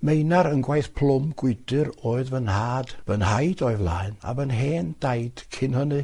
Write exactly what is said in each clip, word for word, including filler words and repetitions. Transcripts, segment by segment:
Meinar yn gwaith plwm Gwydyr oedd fy nhad, fy nhaid o'i flaen, a fy hen daid cyn hynny.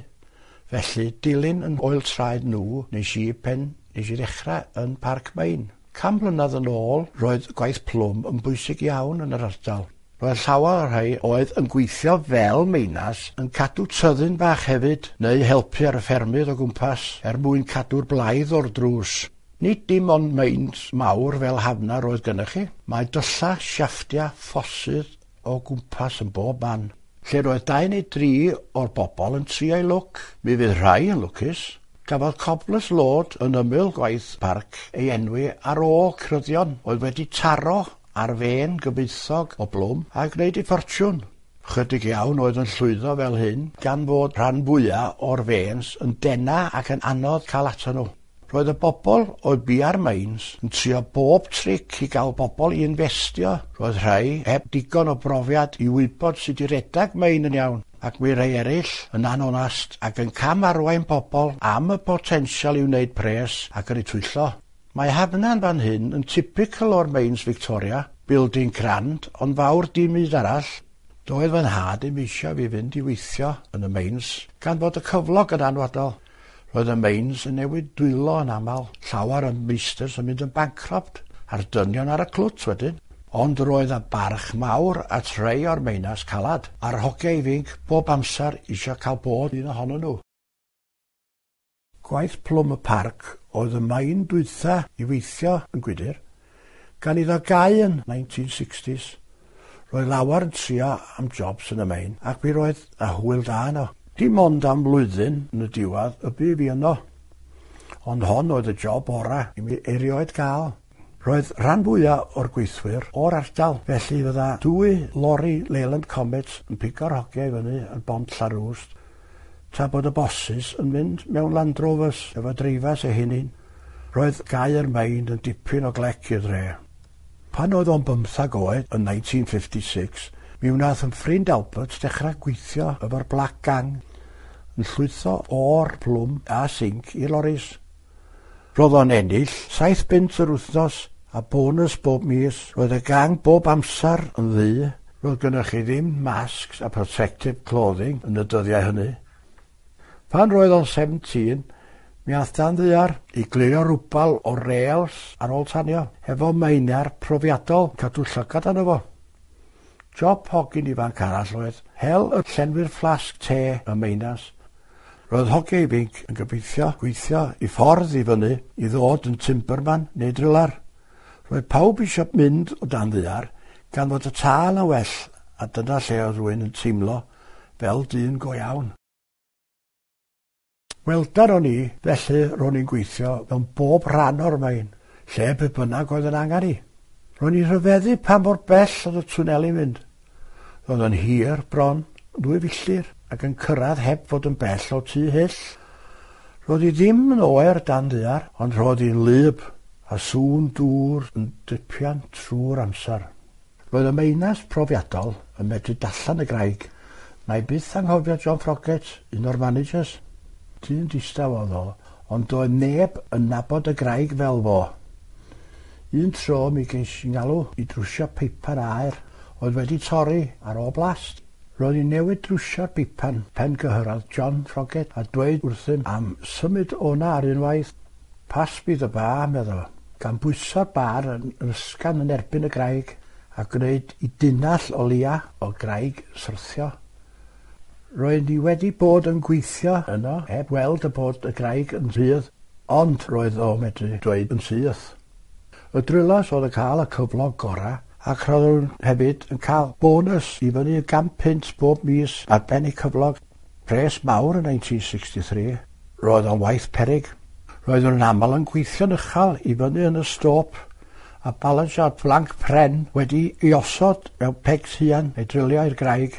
Felly, dilyn yn ôl traed nhw, nes i pen, nes i ddechrau yn Parc Main. Can mlynedd yn ôl, roedd gwaith plwm yn bwysig iawn yn yr ardal. Roedd llawer o'r rhai oedd yn gweithio fel meinas yn cadw tyddyn bach hefyd, neu helpu ar y ffermydd o gwmpas er mwyn cadw'r blaidd o'r drws. Nid dim ond meins mawr fel Hafna roedd gennych chi. Mae dylla, siafftia, ffosydd o gwmpas yn bob man. Lle roedd dau neu dri o'r bobl yn trio eu lwc. Mi fydd rhai yn lwcus. Gafodd Cobbler's Lode yn ymyl gwaith parc ei enwi ar ôl cryddion oedd wedi taro ar fen gyfoethog o blwm a gwneud ei ffortiwn. Chydig iawn oedd yn llwyddo fel hyn, gan fod rhan fwyaf o'r fens yn dena ac yn anodd cael ato nhw. Roedd y bobl oedd bia'r mines yn trio bob tric i gael bobl i investio. Roedd rhai heb digon o brofiad i wybod sut i redag mein yn iawn, ac mi rhai eraill yn anonast ac yn cam arwain bobl am y potensial i wneud pres ac yn eu twyllo. Mae Hafna'n fan hyn yn typical o'r mines Victoria, building crand, ond fawr dim byd arall. Doedd fy nhad ddim eisiau fi fynd i weithio yn y mines, gan fod y cyflog yn anwadol. Roedd y mines yn newid dwylo yn aml, llawer yn meisters yn mynd yn bankrupt, a'r dynion ar y clwt wedyn. Ond roedd y barch mawr at rhai o'r meinas calad, a'r hogiau ifanc bob amser eisiau cael bod un ohonyn nhw. Gwaith plwm y parc oedd y main dwytha i weithio yn Gwydyr, gan iddo gau yn nineteen sixties. Roedd lawer yn trio am jobs yn y main, ac mi roedd a hwyl da yno. Dim ond am flwyddyn yn y diwedd y bu fi yno. Ond hon oedd y job ora i mi erioed gael. Roedd rhan fwyaf o'r gweithwyr o'r ardal, felly fydda dwy lori Leyland Comet yn pigo'r hogiau i fyny yn Bont Llanrwst, tra bod y bosses yn mynd mewn Land Rovers efo dreifas eu hunain. Roedd gau'r main yn dipyn o glec i'r dre. Pan oedd o'n bymthag oed yn nineteen fifty-six, mi wnaeth yn ffrind Albert dechrau gweithio efo'r Black Gang, yn llwytho o'r plwm a sinc i loris. Roedd o'n ennill saith bunt yr wythnos a bonus bob mis. Roedd y gang bob amser yn ddu. Roedd gynnoch chi ddim masks a protective clothing yn y dyddiau hynny. Pan roedd o'n seventeen, mi ath dan ddaear i glirio rwbal o rails ar ôl tanio, efo meinar profiadol cadw llygad arno fo. Job hogyn ifanc arall oedd hel y llenwi'r fflasg te y meinas. Roedd hogiau ifanc yn gobeithio gweithio i ffordd i fyny i ddod yn timberman neu driller. Roedd pawb eisiau mynd o dan ddaear gan fod y tâl yn well, a dyna lle oedd rhywun yn teimlo fel dyn go iawn. Welder o'n i, felly ro'n i'n gweithio mewn bob rhan o'r main, lle be bynnag oedd yn angen i. Ro'n i'n rhyfeddu pa mor bell oedd y twneli'n mynd. Roedd yn hir bron, dwy filltir, ac yn cyrraedd heb fod yn bell o Tŷ Hyll. Roedd hi ddim yn oer dan ddaear, ond roedd hi'n wlyb, a sŵn dŵr yn dripian trwy'r amser. Roedd y meinas profiadol yn medru darllen y graig. Na'i byth anghofio John Froggatt, un o'r managers. Dyn distaw oedd o, ond doedd neb yn nabod y graig fel fo. Un tro mi ges i ngalw i drwsio peipan aer oedd wedi torri ar ôl blast. Roedd hi'n newid drwsio'r bipan pen gyhyrradd John Froggatt a dweud wrthym am symud o'na ar unwaith. Pass me the bar, medda fo, gan bwyso'r bar yn ysgafn yn erbyn y graig a gwneud i dunnall o lia o graig syrthio. Roedd ni wedi bod yn gweithio yno heb weld y bod y graig yn rhydd, ond roedd o medru dweud yn syth. Y drillers oedd yn cael y cyflog gorau, ac roedd nhw hefyd yn cael bonus i fyny i gan punt bob mis ar ben eu cyflog. Pres mawr yn nineteen sixty-three. Roedd o'n waith peryg. Roedd nhw'n aml yn gweithio'n uchel i fyny yn y stôp, a balansio'r planc pren wedi ei osod mewn pegs haearn neu drilio i'r graig.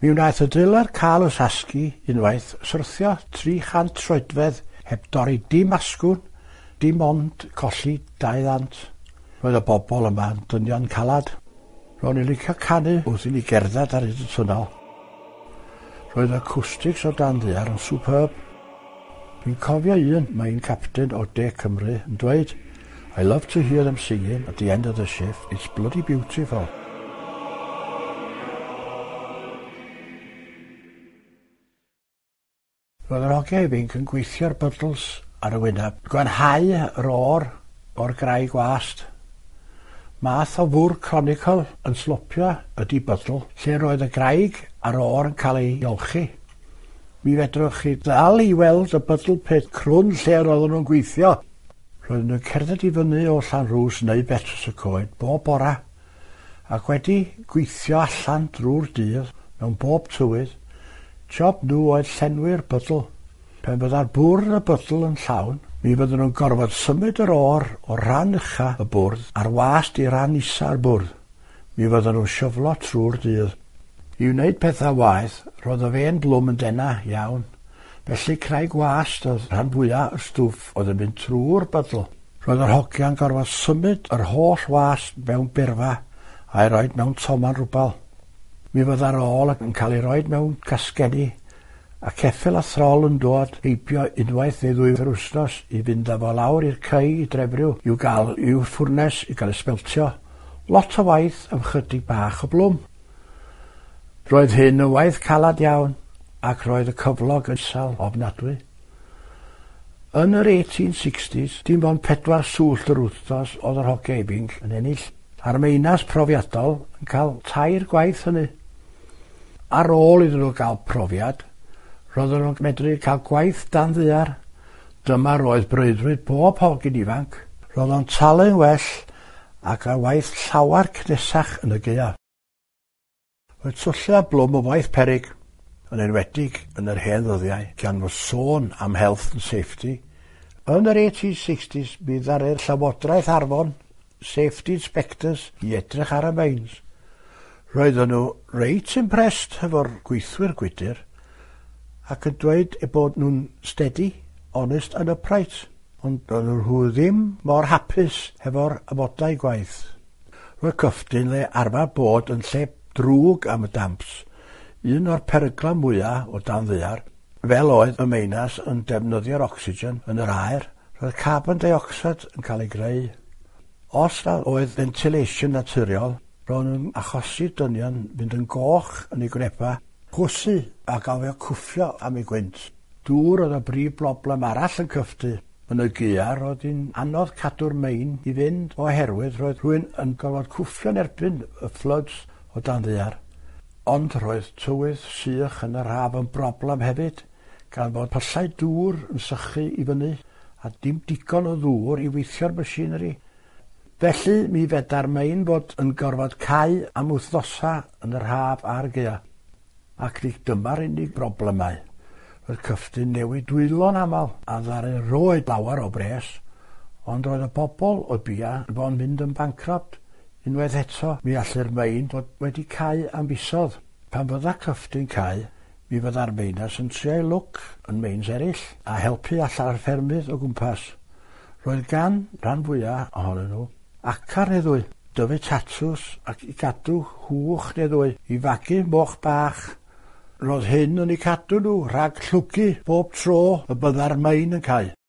Mi wnaeth y driller cael y sasgu unwaith syrthio tri chant troedfedd heb dorri dim asgwrn, dim ond colli dau ddant. Roedd y bobl yma yn dynion calad. Ro'n i'n licio canu wrth i ni gerdded ar hyd y twnnel. Roedd y acoustics o dan ddaear yn superb. Dwi'n cofio un main captain o De Cymru yn dweud, I love to hear them singing at the end of the shift. It's bloody beautiful. Roedd yr hogiau ifanc yn gweithio'r bydls ar y wyneb, gwanhau yr ore o'r graig wast. Math o fwrdd conical yn slopio ydy bydl, lle roedd y graig a'r ore yn cael ei olchi. Mi fedrwch chi ddal i weld y bydl pit crwn lle roedden nhw'n gweithio. Roedden nhw'n cerdded i fyny o Llanrwst neu Betws y Coed bob bora, ac wedi gweithio allan drwy'r dydd mewn bob tywydd. Job nhw oedd llenwi'r bydl. Pan fydda'r bwrdd y bydl yn llawn, mi fydden nhw'n gorfod symud yr ore o ran ucha y bwrdd a'r wast i ran isa'r bwrdd. Mi fydden nhw'n sioflo trwy'r dydd. I wneud pethau waeth, roedd y fen blwm yn dena iawn. Felly craig wast oedd rhan fwyaf y stwff oedd yn mynd trwy'r bydl. Roedd yr hogiau'n gorfod symud yr holl wast mewn burfa a'i roed mewn toman rwbal. Mi fydda'r ôl yn cael ei roed mewn casgedi, a ceffyl a throl yn dod heibio unwaith neu ddwy yr wythnos i fynd â fo lawr i'r cei i Drefriw i'w gael i'w ffwrnes i gael ei smeltio. Lot o waith am chydig bach o blwm. Roedd hyn yn waith calad iawn, ac roedd y cyflog yn isel ofnadwy. Yn yr eighteen sixties, dim ond pedwar swllt yr wythnos oedd yr hogiau ifanc yn ennill, a'r meinas profiadol yn cael tair gwaith hynny. Ar ôl iddyn nhw gael profiad, roedden nhw'n medru cael gwaith dan ddaear. Dyma roedd breuddwyd bob hogyn ifanc. Roedd o'n talu'n well ac ar waith llawer cnesach yn y gaeaf. Roedd twllu a blwm o waith peryg, yn enwedig yn yr hen ddyddiau, gan fod sôn am health and safety. Yn yr eighteen sixties, mi ddaru'r Llywodraeth Arfon safety inspectors i edrych ar y mines. Roedden nhw reit impressed hefo'r gweithwyr gwydr ac yn dweud eu bod nhw'n steady, honest and upright, ond doedden nhw ddim mor hapus hefo'r amodau gwaith. Roedd Cyffdyn le arfer bod yn lle drwg am y damps, un o'r perygla mwyaf o dan ddaear, fel oedd y meinas yn defnyddio'r ocsigen yn yr aer, roedd carbon dioxide yn cael ei greu. Os na oedd ventilation naturiol, roedd nhw'n achosi dynion fynd yn goch yn eu gwynebau, chwysu a gofio cwffio am eu gwynt. Dŵr oedd y brif broblem arall yn Cyffdu. Yn y gaeaf roedd hi'n anodd cadw'r mein i fynd oherwydd roedd rhywun yn gorfod cwffio'n erbyn y floods o dan ddaear. Ond roedd tywydd sych yn yr haf yn broblem hefyd, gan fod pyllau dŵr yn sychu i fyny a dim digon o ddŵr i weithio'r machinery. Felly mi feda'r mein fod yn gorfod cau am wythnosau yn yr haf a'r gaeaf. Ac nid dyma'r unig broblemau. Roedd Cyffdyn newid dwylo'n aml a ddaru roed lawer o bres, ond roedd y bobl oedd bia yn bod yn mynd yn bankrupt. Unwaith eto, mi allu'r mein fod wedi cau am fisoedd. Pan fydda Cyffdyn cau, mi fydda'r meinas yn trio'i lwc yn meins eraill a helpu allan ar ffermydd o gwmpas. Roedd gan rhan fwyaf ohonyn nhw acar neu ddwy, dyfu tatws ac i gadw hwch neu ddwy, i fagu moch bach. Roedd hyn yn eu cadw nhw rhag llwgu bob tro y bydda'r mein yn cau.